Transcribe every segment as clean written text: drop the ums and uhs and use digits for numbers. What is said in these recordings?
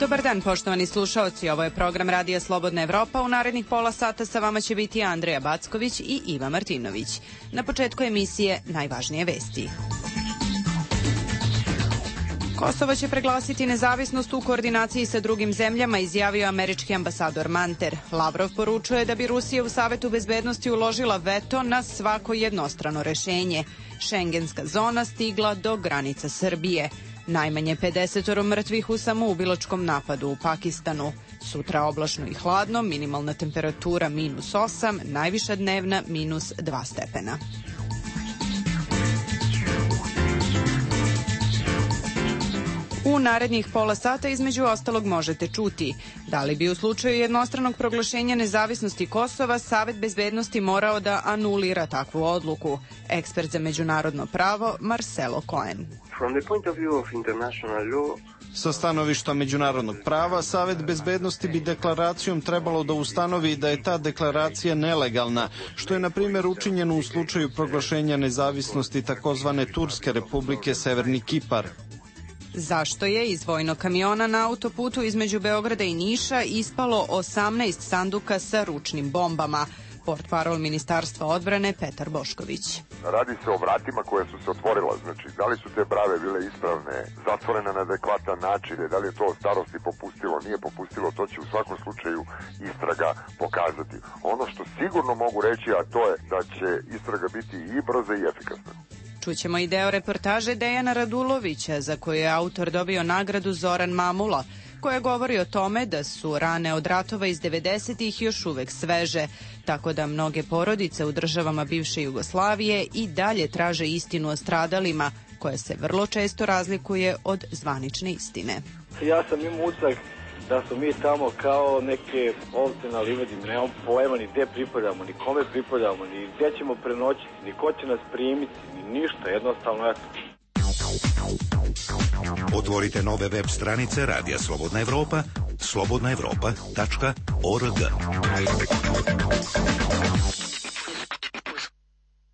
Dobar dan, poštovani slušaoci. Ovo je program Radija Slobodna Evropa. U narednih pola sata sa vama će biti Andreja Backović i Iva Martinović. Na početku emisije najvažnije vesti. Kosovo će proglasiti nezavisnost u koordinaciji sa drugim zemljama, izjavio američki ambasador Manter. Lavrov poručuje da bi Rusija u Savetu bezbednosti uložila veto na svako jednostrano rešenje. Šengenska zona stigla do granica Srbije. Najmanje 50 mrtvih u samoubilačkom napadu u Pakistanu. Sutra oblačno i hladno, minimalna temperatura -8, najviša dnevna -2 stepena. U narednih pola sata između ostalog možete čuti da li bi u slučaju jednostranog proglašenja nezavisnosti Kosova Savet bezbednosti morao da anulira takvu odluku. Ekspert za međunarodno pravo Marcelo Cohen. Sa stanovišta međunarodnog prava, Savet bezbednosti bi deklaracijom trebalo da ustanovi da je ta deklaracija nelegalna, što je na primjer učinjeno u slučaju proglašenja nezavisnosti takozvane Turske republike Severni Kipar. Zašto je iz vojnog kamiona na autoputu između Beograda i Niša ispalo 18 sanduka sa ručnim bombama? Portparol Ministarstva odbrane Petar Bošković. Radi se o vratima koja su se otvorila, znači da li su te brave bile ispravne, zatvorene na adekvatan način, da li je to od starosti popustilo, nije popustilo, to će u svakom slučaju istraga pokazati. Ono što sigurno mogu reći, a to je da će istraga biti i brza i efikasna. Čućemo i deo reportaže Dejana Radulovića, za koju je autor dobio nagradu Zoran Mamula, koja govori o tome da su rane od ratova iz 90-ih još uvek sveže, tako da mnoge porodice u državama bivše Jugoslavije i dalje traže istinu o stradalima, koja se vrlo često razlikuje od zvanične istine. Ja sam imao utisak da smo mi tamo kao neke ovce na livadi, nemamo pojma ni gde pripadamo, ni kome pripadamo, ni gde ćemo prenoćiti, ni ko će nas primiti, ni ništa, jednostavno eto. Otvorite nove web stranice Radija Slobodna Evropa, slobodnaevropa.org.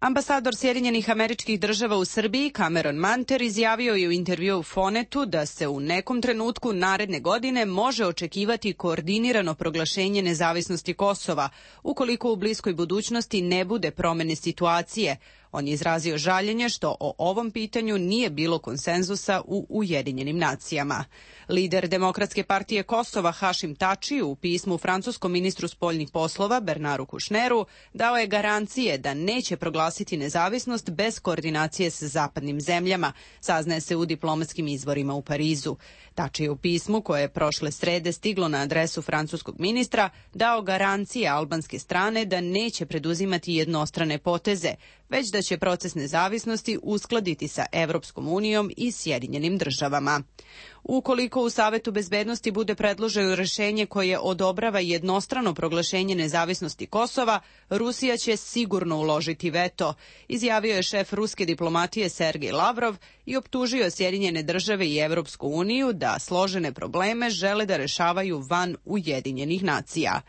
Ambasador Sjedinjenih Američkih Država u Srbiji Cameron Manter izjavio je u intervjuu Fonetu da se u nekom trenutku naredne godine može očekivati koordinirano proglašenje nezavisnosti Kosova, ukoliko u bliskoj budućnosti ne bude promene situacije. On je izrazio žaljenje što o ovom pitanju nije bilo konsenzusa u Ujedinjenim nacijama. Lider Demokratske partije Kosova Hašim Tači u pismu francuskom ministru spoljnih poslova Bernaru Kušneru dao je garancije da neće proglasiti nezavisnost bez koordinacije sa zapadnim zemljama, saznaje se u diplomatskim izvorima u Parizu. Tači je u pismu koje je prošle srede stiglo na adresu francuskog ministra dao garancije albanske strane da neće preduzimati jednostrane poteze, već da će proces nezavisnosti uskladiti sa Evropskom unijom i Sjedinjenim državama. Ukoliko u Savetu bezbednosti bude predloženo rešenje koje odobrava jednostrano proglašenje nezavisnosti Kosova, Rusija će sigurno uložiti veto, izjavio je šef ruske diplomatije Sergej Lavrov i optužio Sjedinjene države i Evropsku uniju da složene probleme žele da rešavaju van Ujedinjenih nacija.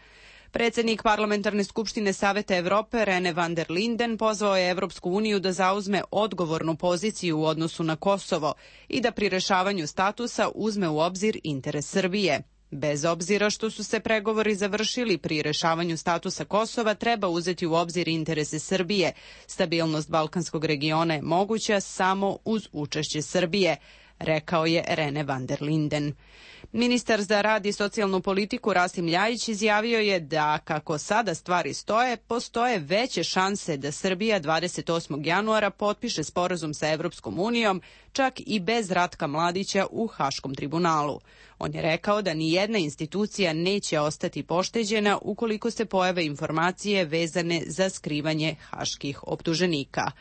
Predsednik Parlamentarne skupštine Saveta Evrope Rene van der Linden pozvao je Evropsku uniju da zauzme odgovornu poziciju u odnosu na Kosovo i da pri rešavanju statusa uzme u obzir interes Srbije. Bez obzira što su se pregovori završili, pri rešavanju statusa Kosova treba uzeti u obzir interese Srbije. Stabilnost balkanskog regiona je moguća samo uz učešće Srbije, rekao je Rene van der Linden. Ministar za rad i socijalnu politiku Rasim Ljajić izjavio je da, kako sada stvari stoje, postoje veće šanse da Srbija 28. januara potpiše sporazum sa Evropskom unijom, čak i bez Ratka Mladića u Haškom tribunalu. On je rekao da ni jedna institucija neće ostati pošteđena ukoliko se pojave informacije vezane za skrivanje haških optuženika.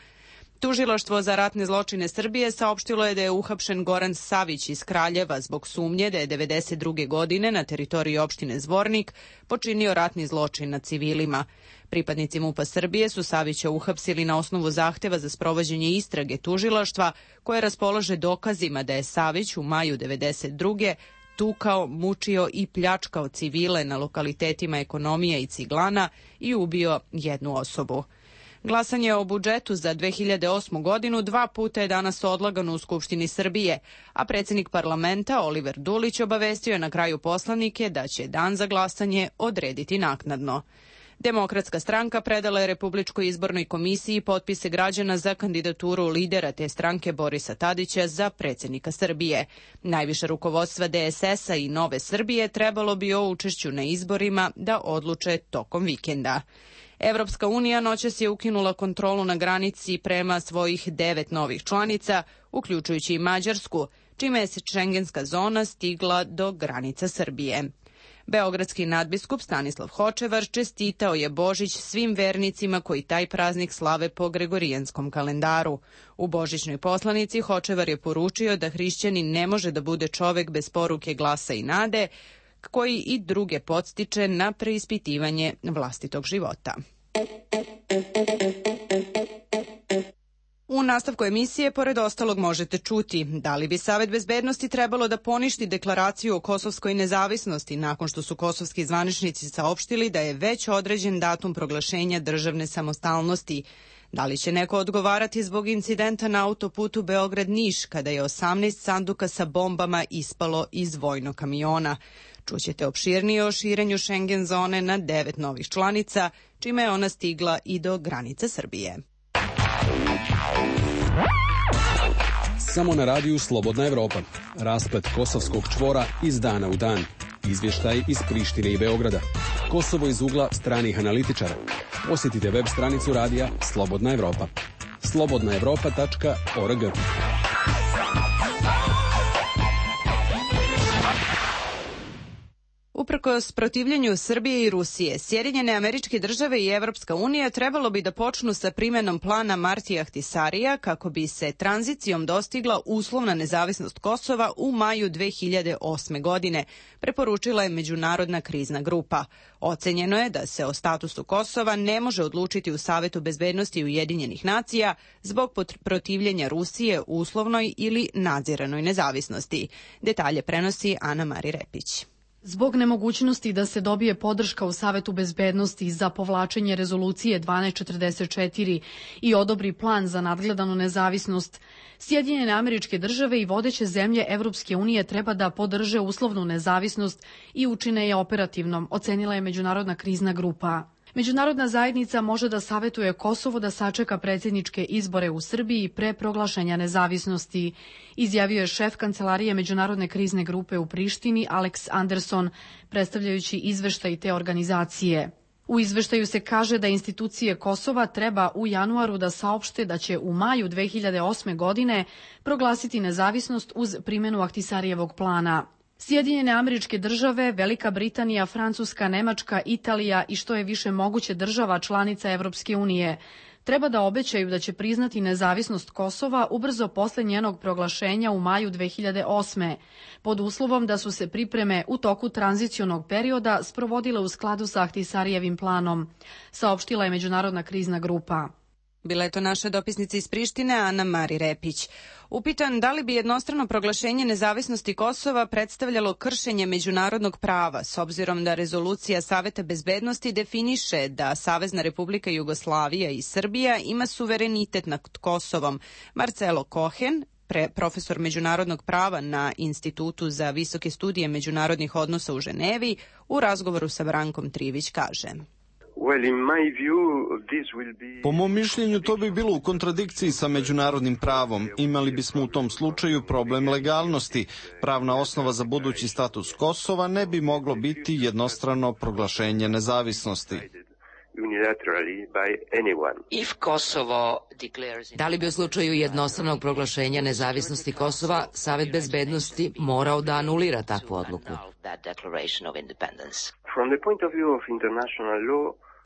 Tužilaštvo za ratne zločine Srbije saopštilo je da je uhapšen Goran Savić iz Kraljeva zbog sumnje da je 1992. godine na teritoriji opštine Zvornik počinio ratni zločin nad civilima. Pripadnici MUP-a Srbije su Savića uhapsili na osnovu zahteva za sprovođenje istrage tužilaštva koje raspolaže dokazima da je Savić u maju 1992. tukao, mučio i pljačkao civile na lokalitetima Ekonomija i Ciglana i ubio jednu osobu. Glasanje o budžetu za 2008. godinu 2 puta je danas odlagano u Skupštini Srbije, a predsjednik parlamenta Oliver Dulić obavestio je na kraju poslanike da će dan za glasanje odrediti naknadno. Demokratska stranka predala je Republičkoj izbornoj komisiji potpise građana za kandidaturu lidera te stranke Borisa Tadića za predsjednika Srbije. Najviše rukovodstva DSS-a i Nove Srbije trebalo bi o učešću na izborima da odluče tokom vikenda. Evropska unija noćas je ukinula kontrolu na granici prema svojih 9 novih članica, uključujući i Mađarsku, čime je šengenska zona stigla do granica Srbije. Beogradski nadbiskup Stanislav Hočevar čestitao je Božić svim vernicima koji taj praznik slave po gregorijanskom kalendaru. U božićnoj poslanici Hočevar je poručio da hrišćanin ne može da bude čovek bez poruke glasa i nade, koji i druge podstiče na preispitivanje vlastitog života. U nastavku emisije, pored ostalog, možete čuti da li bi Savet bezbednosti trebalo da poništi deklaraciju o kosovskoj nezavisnosti nakon što su kosovski zvaničnici saopštili da je već određen datum proglašenja državne samostalnosti. Da li će neko odgovarati zbog incidenta na autoputu Beograd-Niš kada je 18 sanduka sa bombama ispalo iz vojnog kamiona? Čućete opširnije o širenju Schengen zone na 9 novih članica, čime je ona stigla i do granice Srbije. Samo na radiju Slobodna Evropa. Rasplet kosovskog čvora iz dana u dan. Izvještaj iz Prištine i Beograda. Kosovo iz ugla stranih analitičara. Posjetite web stranicu radija Slobodna Evropa. slobodnaevropa.org. Uprkos protivljenju Srbije i Rusije, Sjedinjene Američke Države i Evropska unija trebalo bi da počnu sa primenom plana Martija Ahtisarija kako bi se tranzicijom dostigla uslovna nezavisnost Kosova u maju 2008. godine, preporučila je Međunarodna krizna grupa. Ocenjeno je da se o statusu Kosova ne može odlučiti u Savetu bezbednosti Ujedinjenih nacija zbog protivljenja Rusije uslovnoj ili nadziranoj nezavisnosti. Detalje prenosi Ana Mari Repić. Zbog nemogućnosti da se dobije podrška u Savetu bezbednosti za povlačenje rezolucije 1244 i odobri plan za nadgledanu nezavisnost, Sjedinjene Američke Države i vodeće zemlje Evropske unije treba da podrže uslovnu nezavisnost i učine je operativnom, ocenila je Međunarodna krizna grupa. Međunarodna zajednica može da savetuje Kosovo da sačeka predsjedničke izbore u Srbiji pre proglašenja nezavisnosti, izjavio je šef Kancelarije Međunarodne krizne grupe u Prištini Alex Anderson, predstavljajući izveštaj te organizacije. U izveštaju se kaže da institucije Kosova treba u januaru da saopšte da će u maju 2008. godine proglasiti nezavisnost uz primjenu Ahtisarijevog plana. Sjedinjene Američke Države, Velika Britanija, Francuska, Nemačka, Italija i što je više moguće država članica Evropske unije treba da obećaju da će priznati nezavisnost Kosova ubrzo posle njenog proglašenja u maju 2008. pod uslovom da su se pripreme u toku tranzicionog perioda sprovodile u skladu sa Ahtisarijevim planom, saopštila je Međunarodna krizna grupa. Bila je to naša dopisnica iz Prištine, Ana Mari Repić. Upitan da li bi jednostrano proglašenje nezavisnosti Kosova predstavljalo kršenje međunarodnog prava, s obzirom da rezolucija Saveta bezbednosti definiše da Savezna Republika Jugoslavija i Srbija ima suverenitet nad Kosovom. Marcelo Kohen, profesor međunarodnog prava na Institutu za visoke studije međunarodnih odnosa u Ženevi, u razgovoru sa Brankom Trivić kaže: Po mom mišljenju to bi bilo u kontradikciji sa međunarodnim pravom. Imali bismo u tom slučaju problem legalnosti. Pravna osnova za budući status Kosova ne bi moglo biti jednostrano proglašenje nezavisnosti. Da li bi u slučaju jednostranog proglašenja nezavisnosti Kosova Savet bezbednosti morao da anulira takvu odluku?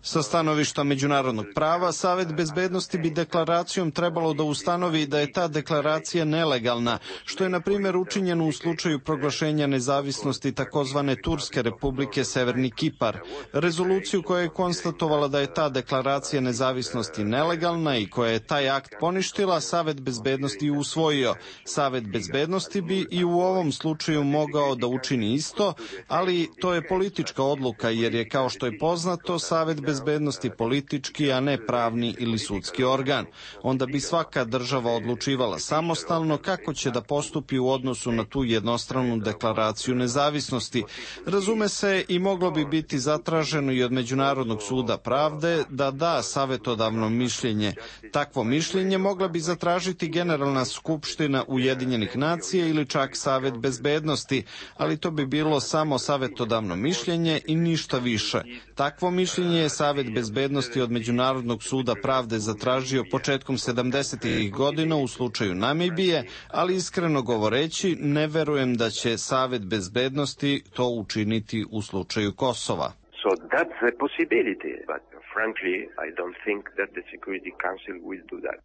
Sa stanovišta međunarodnog prava, Savet bezbednosti bi deklaracijom trebalo da ustanovi da je ta deklaracija nelegalna, što je na primjer učinjeno u slučaju proglašenja nezavisnosti takozvane Turske republike Severni Kipar. Rezoluciju koja je konstatovala da je ta deklaracija nezavisnosti nelegalna i koja je taj akt poništila, Savet bezbednosti usvojio. Savet bezbednosti bi i u ovom slučaju mogao da učini isto, ali to je politička odluka jer je, kao što je poznato, Savet bezbednosti politički, a ne pravni ili sudski organ. Onda bi svaka država odlučivala samostalno kako će da postupi u odnosu na tu jednostranu deklaraciju nezavisnosti. Razume se, i moglo bi biti zatraženo i od Međunarodnog suda pravde da da savetodavno mišljenje. Takvo mišljenje mogla bi zatražiti Generalna skupština Ujedinjenih nacija ili čak Savet bezbednosti, ali to bi bilo samo savetodavno mišljenje i ništa više. Takvo mišljenje je Savet bezbednosti od Međunarodnog suda pravde zatražio početkom 70. godina u slučaju Namibije, ali iskreno govoreći ne verujem da će Savet bezbednosti to učiniti u slučaju Kosova. So that's a possibility, but frankly, I don't think that the Security Council will do that.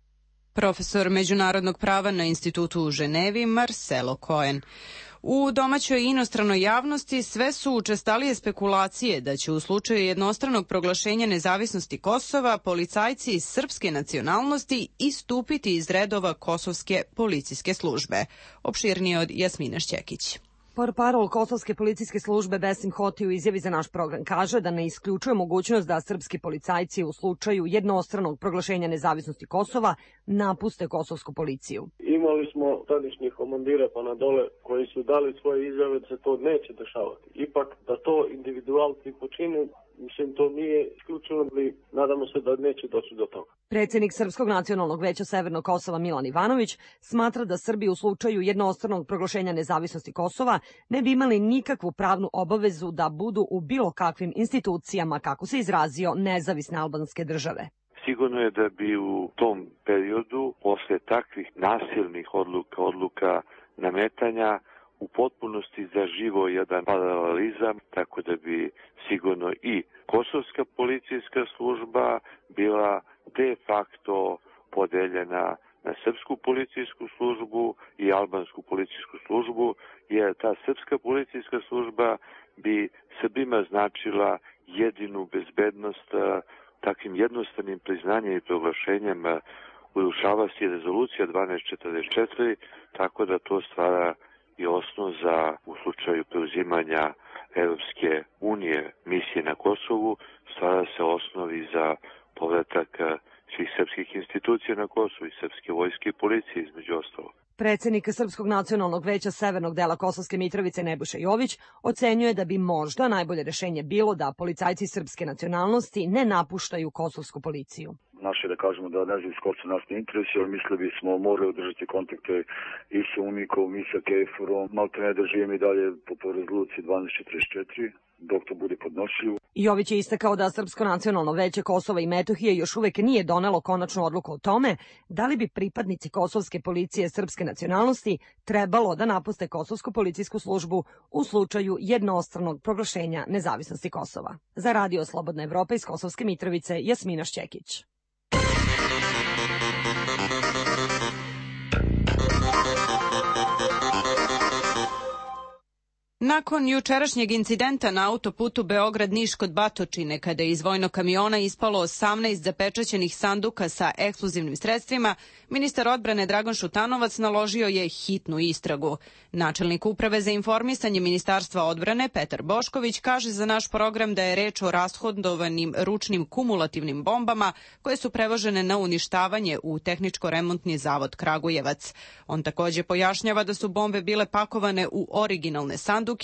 Profesor međunarodnog prava na institutu u Ženevi, Marcelo Cohen. U domaćoj i inostranoj javnosti sve su učestalije spekulacije da će u slučaju jednostranog proglašenja nezavisnosti Kosova policajci srpske nacionalnosti istupiti iz redova kosovske policijske službe. Opširnije od Jasmine Šćekić. Portparol Kosovske policijske službe Besim Hoti u izjavi za naš program kaže da ne isključuje mogućnost da srpski policajci u slučaju jednostranog proglašenja nezavisnosti Kosova napuste kosovsku policiju. Imali smo tadašnjih komandira pa na dole koji su dali svoje izjave da se to neće dešavati. Ipak da to individualci počine, mislim, to nije isključeno, ali nadamo se da neće doći do toga. Predsjednik Srpskog nacionalnog veća Severnog Kosova Milan Ivanović smatra da Srbi u slučaju jednostranog proglašenja nezavisnosti Kosova ne bi imali nikakvu pravnu obavezu da budu u bilo kakvim institucijama, kako se izrazio, nezavisne albanske države. Sigurno je da bi u tom periodu, posle takvih nasilnih odluka nametanja, u potpunosti zaživo jedan paralelizam, tako da bi sigurno i kosovska policijska služba bila de facto podeljena na srpsku policijsku službu i albansku policijsku službu, jer ta srpska policijska služba bi Srbima značila jedinu bezbednost. Takvim jednostavnim priznanjem i proglašenjem urušava se rezolucija 1244, tako da to stvara i osnov za, u slučaju preuzimanja Evropske unije misije na Kosovu, stvara se osnovi za povratak svih srpskih institucija na Kosovu i srpske vojske i policije između ostalog. Predsjednik Srpskog nacionalnog veća Severnog dela Kosovske Mitrovice Nebojša Jović ocenjuje da bi možda najbolje rešenje bilo da policajci srpske nacionalnosti ne napuštaju kosovsku policiju. Naše da kažemo da nezavisnost Kosova nas ne interesuje, ali mislili bismo morali održati kontakte i sa UNIKom i sa KFOR-om, maltene da živimo i dalje po rezoluciji 1244, dok to bude podnošljivo. Jović je istakao da Srpsko nacionalno veće Kosova i Metohije još uvek nije donelo konačnu odluku o tome da li bi pripadnici kosovske policije srpske nacionalnosti trebalo da napuste kosovsku policijsku službu u slučaju jednostranog proglašenja nezavisnosti Kosova. Za Radio Slobodna Evropa iz Kosovske Mitrovice, Jasmina Šćekić. Nakon jučerašnjeg incidenta na autoputu Beograd-Niš kod Batočine, kada je iz vojnog kamiona ispalo 18 zapečaćenih sanduka sa eksplozivnim sredstvima, ministar odbrane Dragan Šutanovac naložio je hitnu istragu. Načelnik Uprave za informisanje Ministarstva odbrane Petar Bošković kaže za naš program da je reč o rashodovanim ručnim kumulativnim bombama koje su prevožene na uništavanje u Tehničko-remontni zavod Kragujevac. On takođe pojašnjava da su bombe bile pakovane u originalne sanduke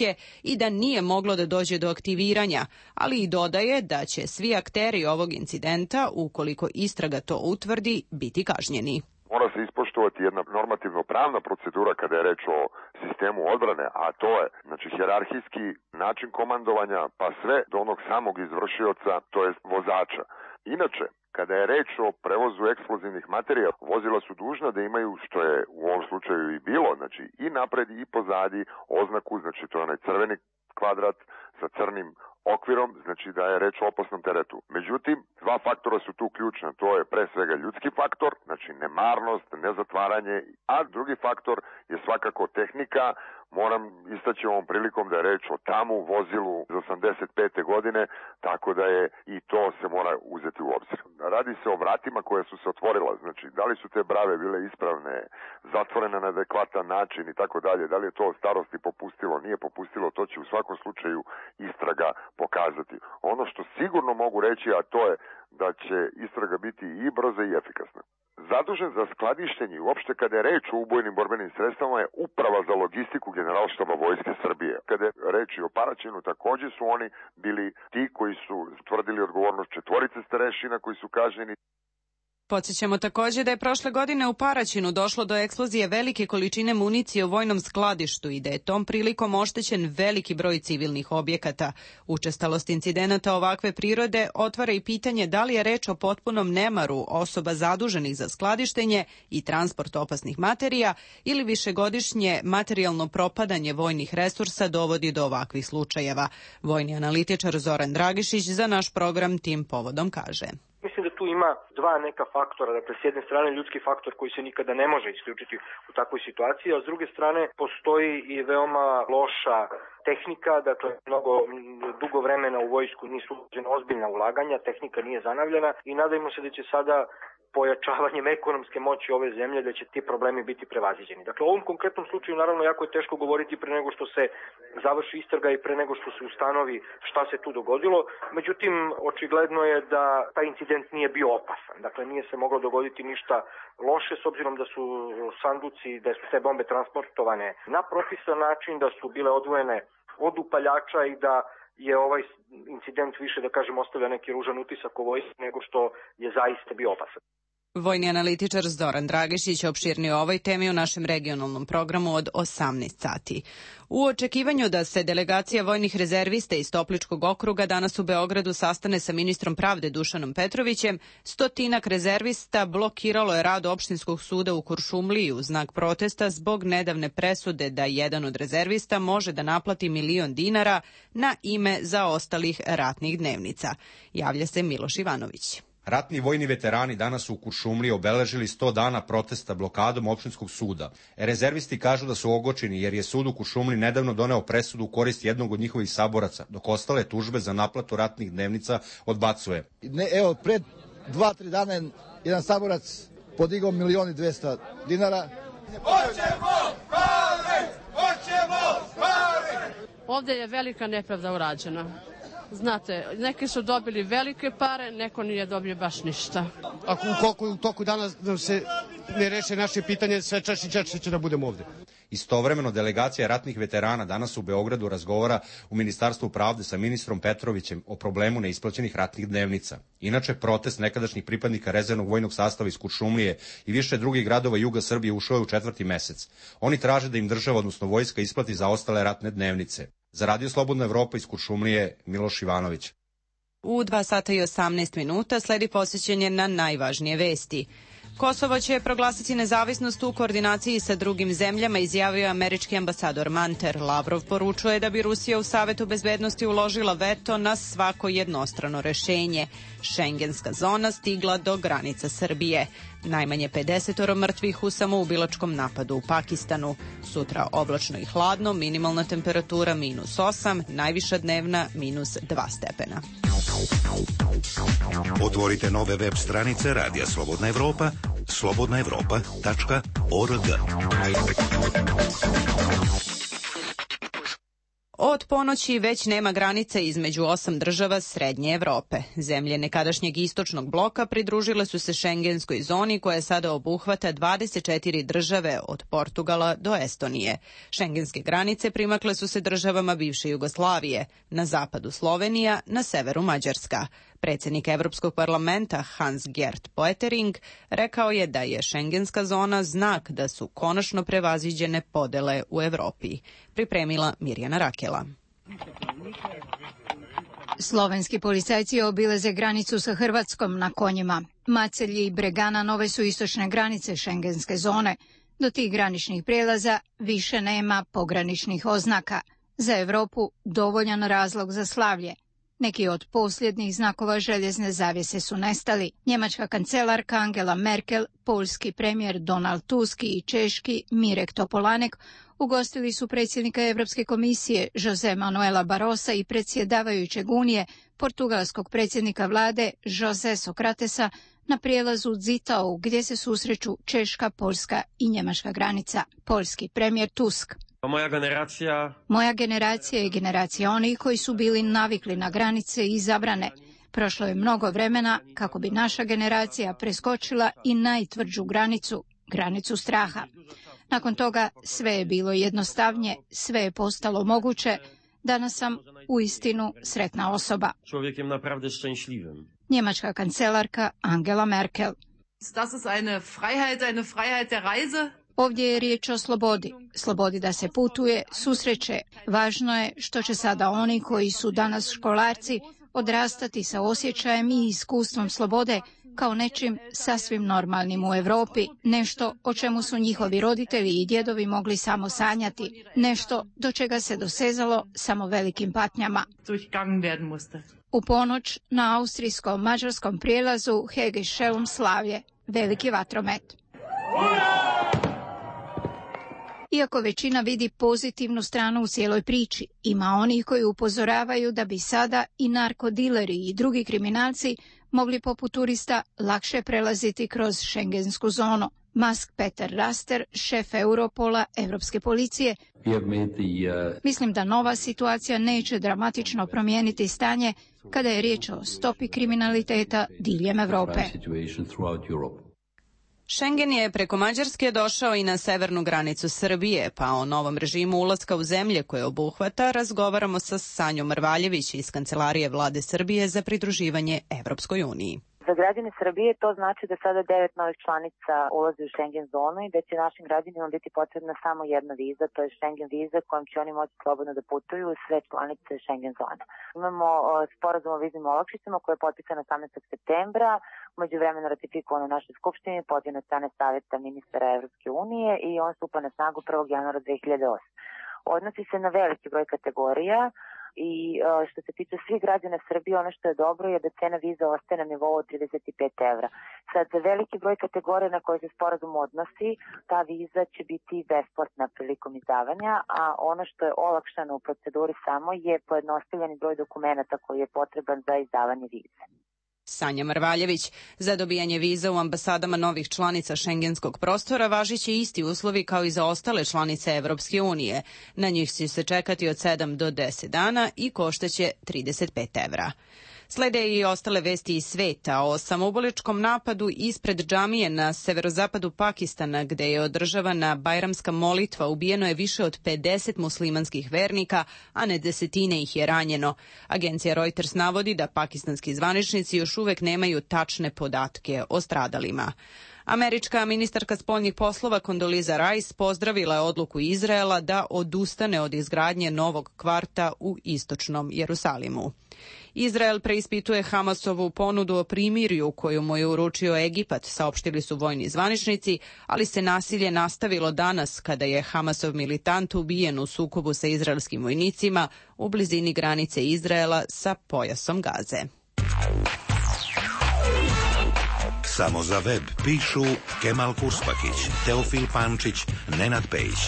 i da nije moglo da dođe do aktiviranja, ali i dodaje da će svi akteri ovog incidenta, ukoliko istraga to utvrdi, biti kažnjeni. Mora se ispoštovati jedna normativno-pravna procedura kada je reč o sistemu odbrane, a to je hijerarhijski način komandovanja pa sve do onog samog izvršioca, to je vozača. Inače, kada je reč o prevozu eksplozivnih materijala, vozila su dužna da imaju, što je u ovom slučaju i bilo, i napred i pozadi oznaku, to je onaj crveni kvadrat sa crnim okvirom, da je reč o opasnom teretu. Međutim, dva faktora su tu ključna, to je pre svega ljudski faktor, nemarnost, nezatvaranje, a drugi faktor je svakako tehnika Moram istaći ovom prilikom da je reč o tamu vozilu iz 85. godine, tako da je i to se mora uzeti u obzir. Radi se o vratima koja su se otvorila, znači da li su te brave bile ispravne, zatvorene na adekvatan način i tako dalje, da li je to od starosti popustilo, nije popustilo, to će u svakom slučaju istraga pokazati. Ono što sigurno mogu reći, a to je da će istraga biti i brza i efikasna. Zadužen za skladištenje i uopšte kada je reč o ubojnim borbenim sredstvama je Uprava za logistiku Generalštaba Vojske Srbije. Kada je reč o Paraćinu, takođe su oni bili ti koji su tvrdili odgovornost 4 starešina koji su kažnjeni. Podsjećamo takođe da je prošle godine u Paraćinu došlo do eksplozije velike količine municije u vojnom skladištu i da je tom prilikom oštećen veliki broj civilnih objekata. Učestalost incidenata ovakve prirode otvara i pitanje da li je reč o potpunom nemaru osoba zaduženih za skladištenje i transport opasnih materija ili višegodišnje materijalno propadanje vojnih resursa dovodi do ovakvih slučajeva. Vojni analitičar Zoran Dragišić za naš program tim povodom kaže. Mislim da tu ima dva neka faktora, dakle s jedne strane ljudski faktor koji se nikada ne može isključiti u takvoj situaciji, a s druge strane postoji i veoma loša tehnika, dakle mnogo dugo vremena u vojsku nisu uložena ozbiljna ulaganja, tehnika nije zanavljena i nadajmo se da će sada pojačavanjem ekonomske moći ove zemlje da će ti problemi biti prevaziđeni. Dakle, u ovom konkretnom slučaju naravno jako je teško govoriti pre nego što se završi istraga i pre nego što se ustanovi šta se tu dogodilo. Međutim, očigledno je da taj incident nije bio opasan. Dakle, nije se moglo dogoditi ništa loše s obzirom da su sanduci, da su te bombe transportovane na propisan način, da su bile odvojene od upaljača i da je ovaj incident više, da kažem, ostavlja neki ružan utisak o vojsci nego što je zaista bio opasan. Vojni analitičar Zoran Dragišić opširnije o ovoj temi u našem regionalnom programu od 18 sati. U očekivanju da se delegacija vojnih rezervista iz Topličkog okruga danas u Beogradu sastane sa ministrom pravde Dušanom Petrovićem, 100 rezervista blokiralo je rad opštinskog suda u Kuršumliji u znak protesta zbog nedavne presude da jedan od rezervista može da naplati 1.000.000 dinara na ime zaostalih ratnih dnevnica. Javlja se Miloš Ivanović. Ratni vojni veterani danas su u Kuršumliji obeležili 100 dana protesta blokadom opštinskog suda. Rezervisti kažu da su ogorčeni jer je sud u Kuršumliji nedavno doneo presudu u korist jednog od njihovih saboraca, dok ostale tužbe za naplatu ratnih dnevnica odbacuje. Evo, pred 2-3 dana je jedan saborac podigao 1.200.000 dinara. Hoćemo pare! Hoćemo pare! Ovde je velika nepravda urađena. Znate, neki su dobili velike pare, neko nije dobio baš ništa. Ako u toku dana se ne reše naše pitanje, sve češće će da budemo ovde. Istovremeno, delegacija ratnih veterana danas u Beogradu razgovara u Ministarstvu pravde sa ministrom Petrovićem o problemu neisplaćenih ratnih dnevnica. Inače, protest nekadašnjih pripadnika rezervnog vojnog sastava iz Kuršumlije i više drugih gradova juga Srbije ušao je u 4. mesec. Oni traže da im država, odnosno vojska, isplati zaostale ratne dnevnice. Za Radio Slobodna Evropa iz Kuršumlije, Miloš Ivanović. U 2 sata i 18 minuta sledi posjećenje na najvažnije vesti. Kosovo će proglasiti nezavisnost u koordinaciji sa drugim zemljama, izjavio američki ambasador Manter. Lavrov poručuje da bi Rusija u Savetu bezbednosti uložila veto na svako jednostrano rešenje. Šengenska zona stigla do granica Srbije. Najmanje 50 mrtvih u samoubilačkom napadu u Pakistanu. Sutra oblačno i hladno, minimalna temperatura -8, najviša dnevna -2 stepena. Otvorite nove web stranice Radija Slobodna Evropa, slobodnaevropa.org. Od ponoći već nema granice između 8 država Srednje Evrope. Zemlje nekadašnjeg istočnog bloka pridružile su se šengenskoj zoni koja sada obuhvata 24 države od Portugala do Estonije. Šengenske granice primakle su se državama bivše Jugoslavije, na zapadu Slovenija, na severu Mađarska. Predsjednik Evropskog parlamenta Hans-Gert Pöttering rekao je da je šengenska zona znak da su konačno prevaziđene podele u Evropi. Pripremila Mirjana Rakela. Slovenski policajci obilaze granicu sa Hrvatskom na konjima. Macelji i Bregana nove su istočne granice šengenske zone. Do tih graničnih prijelaza više nema pograničnih oznaka. Za Evropu dovoljan razlog za slavlje. Neki od posljednjih znakova željezne zavjese su nestali. Njemačka kancelarka Angela Merkel, poljski premijer Donald Tusk i češki Mirek Topolanek ugostili su predsjednika Europske komisije Jose Manuela Barrosa i predsjedavajućeg Unije, portugalskog predsjednika vlade Jose Sokratesa, na prijelazu Zittau gdje se susreću češka, poljska i njemačka granica. Poljski premijer Tusk. Moja generacija je generacija onih koji su bili navikli na granice i zabrane. Prošlo je mnogo vremena kako bi naša generacija preskočila i najtvrđu granicu, granicu straha. Nakon toga sve je bilo jednostavnije, sve je postalo moguće. Danas sam uistinu sretna osoba. Njemačka kancelarka Angela Merkel. Ovdje je riječ o slobodi. Slobodi da se putuje, susreće. Važno je što će sada oni koji su danas školarci odrastati sa osjećajem i iskustvom slobode kao nečim sasvim normalnim u Europi, nešto o čemu su njihovi roditelji i djedovi mogli samo sanjati, nešto do čega se dosezalo samo velikim patnjama. U ponoć na austrijsko-mađarskom prijelazu Hegescheum slavlje, veliki vatromet. Iako većina vidi pozitivnu stranu u cijeloj priči, ima onih koji upozoravaju da bi sada i narkodileri i drugi kriminalci mogli poput turista lakše prelaziti kroz šengensku zonu. Mask Peter Raster, šef Europola, Europske policije, mislim da nova situacija neće dramatično promijeniti stanje kada je riječ o stopi kriminaliteta diljem Europe. Schengen je preko Mađarske došao i na severnu granicu Srbije, pa o novom režimu ulaska u zemlje koje obuhvata razgovaramo sa Sanjom Mrvaljević iz Kancelarije vlade Srbije za pridruživanje Evropskoj uniji. Za građane Srbije to znači da sada 9 novih članica ulazi u Schengen zonu i da će našim građanima biti potrebna samo jedna viza, to je Schengen viza kojom će oni moći slobodno da putuju u sve članice Schengen zone. Imamo sporazum o viznim olakšicama koji je potpisan 18. septembra, umeđuvremeno ratifikovan u našoj skupštini, podnesen od strane Saveta ministara Evropske unije i on stupa na snagu 1. januara 2008. Odnosi se na veliki broj kategorija i što se tiče svih građana Srbije, ono što je dobro je da cena viza ostaje na nivou od 35 evra. Sad, za veliki broj kategorija na koje se sporazum odnosi, ta viza će biti besplatna prilikom izdavanja, a ono što je olakšano u proceduri samo je pojednostavljeni broj dokumenata koji je potreban za izdavanje vize. Sanja Mrvaljević. Za dobijanje viza u ambasadama novih članica šengenskog prostora važiće isti uslovi kao i za ostale članice Evropske unije. Na njih će se čekati od 7 do 10 dana i koštaće 35 evra. Slede i ostale vesti iz sveta o samoubojničkom napadu ispred džamije na severozapadu Pakistana, gde je održavana bajramska molitva, ubijeno je više od 50 muslimanskih vernika, a ne desetine ih je ranjeno. Agencija Reuters navodi da pakistanski zvaničnici još uvek nemaju tačne podatke o stradalima. Američka ministarka spoljnih poslova Condoleezza Rice pozdravila je odluku Izraela da odustane od izgradnje novog kvarta u istočnom Jerusalimu. Izrael preispituje Hamasovu ponudu o primirju koju mu je uručio Egipat, saopštili su vojni zvaničnici, ali se nasilje nastavilo danas kada je Hamasov militant ubijen u sukobu sa izraelskim vojnicima u blizini granice Izraela sa pojasom Gaze. Samo za web pišu Kemal Kurspakić, Teofil Pančić, Nenad Pejić.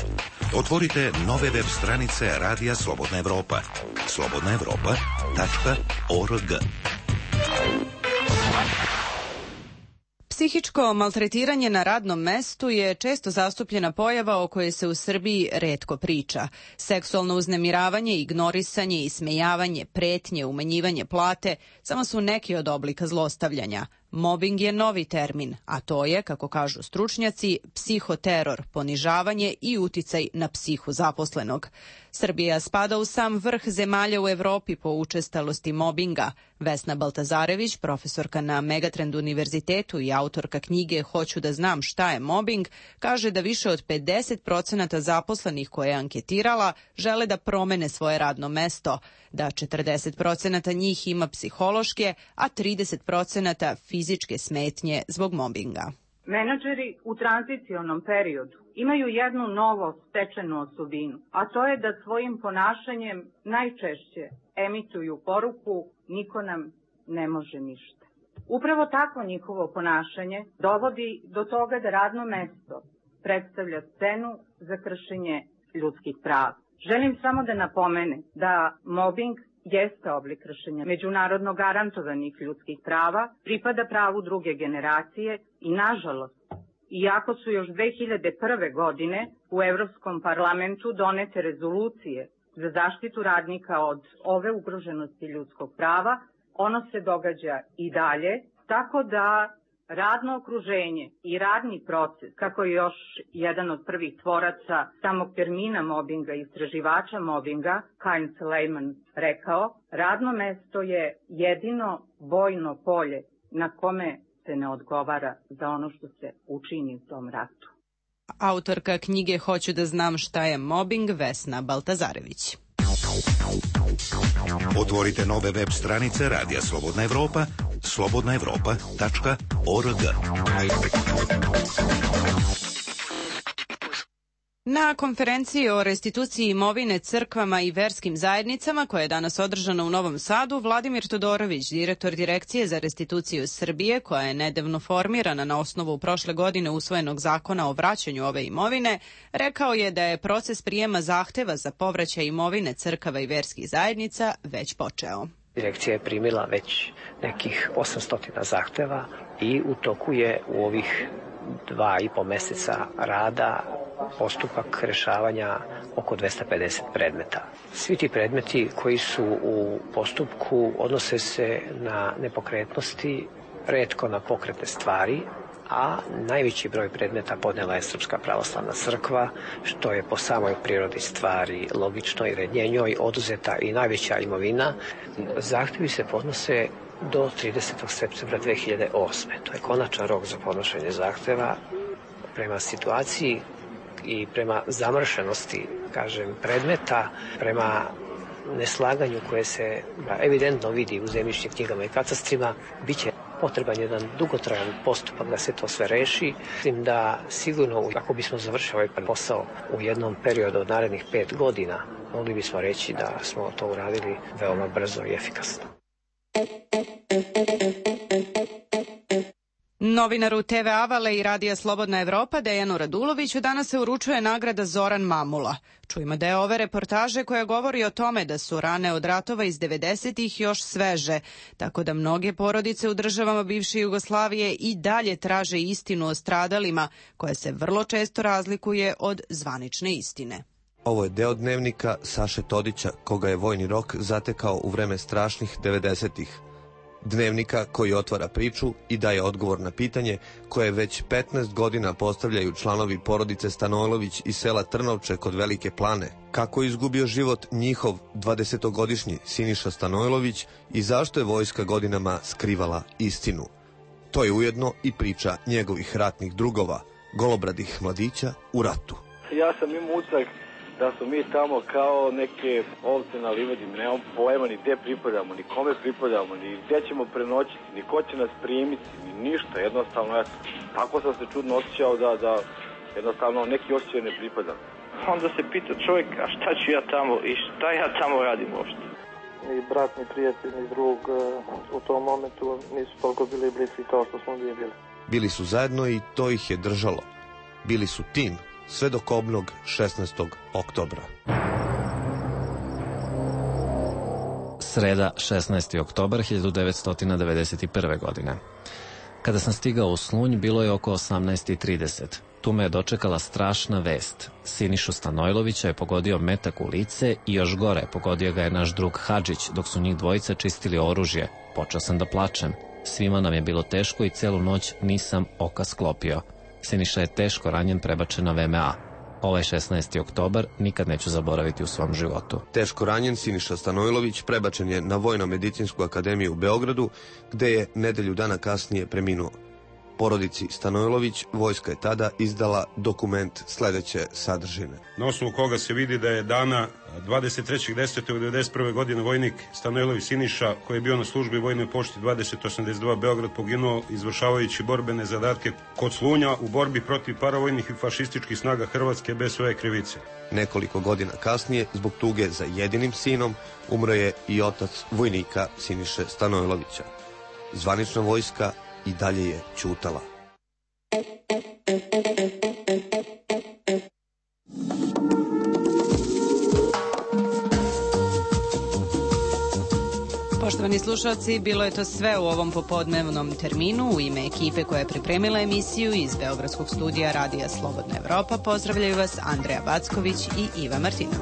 Otvorite nove web stranice Radija Slobodna Evropa. slobodnaevropa.org. Psihičko maltretiranje na radnom mestu je često zastupljena pojava o kojoj se u Srbiji retko priča. Seksualno uznemiravanje, ignorisanje, ismejavanje, pretnje, umanjivanje plate samo su neki od oblika zlostavljanja. Mobing je novi termin, a to je, kako kažu stručnjaci, psihoteror, ponižavanje i uticaj na psihu zaposlenog. Srbija spada u sam vrh zemalja u Evropi po učestalosti mobinga. Vesna Baltazarević, profesorka na Megatrend univerzitetu i autorka knjige Hoću da znam šta je mobing, kaže da više od 50% zaposlenih koje je anketirala žele da promene svoje radno mesto, da 40% njih ima psihološke, a 30% fizičke smetnje zbog mobinga. Menadžeri u tranzicionom periodu imaju jednu novo stečenu osobinu, a to je da svojim ponašanjem najčešće emituju poruku niko nam ne može ništa. Upravo takvo njihovo ponašanje dovodi do toga da radno mesto predstavlja scenu za kršenje ljudskih prava. Želim samo da napomenem da mobbing jeste oblik kršenja međunarodno garantovanih ljudskih prava, pripada pravu druge generacije i, nažalost, iako su još 2001. godine u Evropskom parlamentu donete rezolucije za zaštitu radnika od ove ugroženosti ljudskog prava, ono se događa i dalje, tako da radno okruženje i radni proces, kako je još jedan od prvih tvoraca samog termina mobinga, istraživača mobinga, Kain Suleiman, rekao, radno mesto je jedino bojno polje na kome se ne odgovara za ono što se učini u tom ratu. Autorka knjige Hoću da znam šta je mobing, Vesna Baltazarević. Otvorite nove web stranice Radija Slobodna Evropa, slobodnaevropa.org. Na konferenciji o restituciji imovine crkvama i verskim zajednicama, koja je danas održana u Novom Sadu, Vladimir Todorović, direktor Direkcije za restituciju Srbije, koja je nedavno formirana na osnovu prošle godine usvojenog zakona o vraćanju ove imovine, rekao je da je proces prijema zahteva za povraćaj imovine crkava i verskih zajednica već počeo. Direkcija je primila već nekih 800 zahteva i u toku je u ovih 2,5 meseca rada postupak rešavanja oko 250 predmeta. Svi ti predmeti koji su u postupku odnose se na nepokretnosti, retko na pokretne stvari, a najveći broj predmeta podnela je Srpska pravoslavna crkva, što je po samoj prirodi stvari logično, jer je njoj oduzeta i najveća imovina. Zahtevi se podnose do 30. septembra 2008. To je konačan rok za podnošenje zahteva. Prema situaciji i prema zamršenosti, predmeta, prema neslaganju koje se evidentno vidi u zemljišnim knjigama i katastrima, bit će potreban jedan dugotrajan postupak da se to sve reši. Mislim da sigurno, ako bismo završili ovaj posao u jednom periodu od narednih 5 godina, mogli bismo reći da smo to uradili veoma brzo i efikasno. Novinaru TV Avale i Radija Slobodna Evropa Dejanu Raduloviću danas se uručuje nagrada Zoran Mamula. Čujemo deo ove reportaže koja govori o tome da su rane od ratova iz 90-ih još sveže, tako da mnoge porodice u državama bivše Jugoslavije i dalje traže istinu o stradalima, koja se vrlo često razlikuje od zvanične istine. Ovo je deo dnevnika Saše Todića, koga je vojni rok zatekao u vreme strašnih 90-ih. Dnevnika koji otvara priču i daje odgovor na pitanje koje već 15 godina postavljaju članovi porodice Stanojlović iz sela Trnovče kod Velike Plane. Kako je izgubio život njihov 20-godišnji Siniša Stanojlović i zašto je vojska godinama skrivala istinu. To je ujedno i priča njegovih ratnih drugova, golobradih mladića u ratu. Ja sam imao utisak da smo mi tamo kao neke ovce na livadi, nemamo pojma ni gde pripadamo, ni kome pripadamo, ni gde ćemo prenoćiti, ni ko će nas primiti, ni ništa, jednostavno, eto, tako sam se čudno osjećao da jednostavno neki osjećaj ne pripadam. Onda se pita čovjek, a šta ću ja tamo i šta ja tamo radim uopšte? Ni brat, ni prijatelj, ni drug u tom momentu nisu toliko bili bliski kao što smo bili. Bili su zajedno i to ih je držalo. Bili su tim sve do kobnog 16. oktobra. Sreda, 16. oktobar 1991. godine. Kada sam stigao u Slunj, bilo je oko 18:30. Tu me je dočekala strašna vest. Sinišu Stanojlovića je pogodio metak u lice i još gore, pogodio ga je naš drug Hadžić, dok su njih dvojica čistili oružje. Počeo sam da plačem. Svima nam je bilo teško i celu noć nisam oka sklopio. Siniša je teško ranjen, prebačen na VMA. Ovaj 16. oktobar nikad neću zaboraviti u svom životu. Teško ranjen Siniša Stanojlović prebačen je na Vojno-medicinsku akademiju u Beogradu, gde je nedelju dana kasnije preminuo. porodici Stanojlović vojska je tada izdala dokument sledeće sadržine. Na osnovu koga se vidi da je dana 23.10.1991. godine vojnik Stanojlović Siniša, koji je bio na službi vojnoj pošti 2082 Beograd, poginuo izvršavajući borbene zadatke kod Slunja u borbi protiv paravojnih i fašističkih snaga Hrvatske bez svoje krivice. Nekoliko godina kasnije, zbog tuge za jedinim sinom, umro je i otac vojnika Siniše Stanojlovića. Zvanična vojska i dalje je ćutala. Poštovani slušalci, bilo je to sve u ovom popodnevnom terminu. U ime ekipe koja je pripremila emisiju iz Beogradskog studija Radija Slobodna Evropa pozdravljaju vas Andreja Backović i Iva Martinović.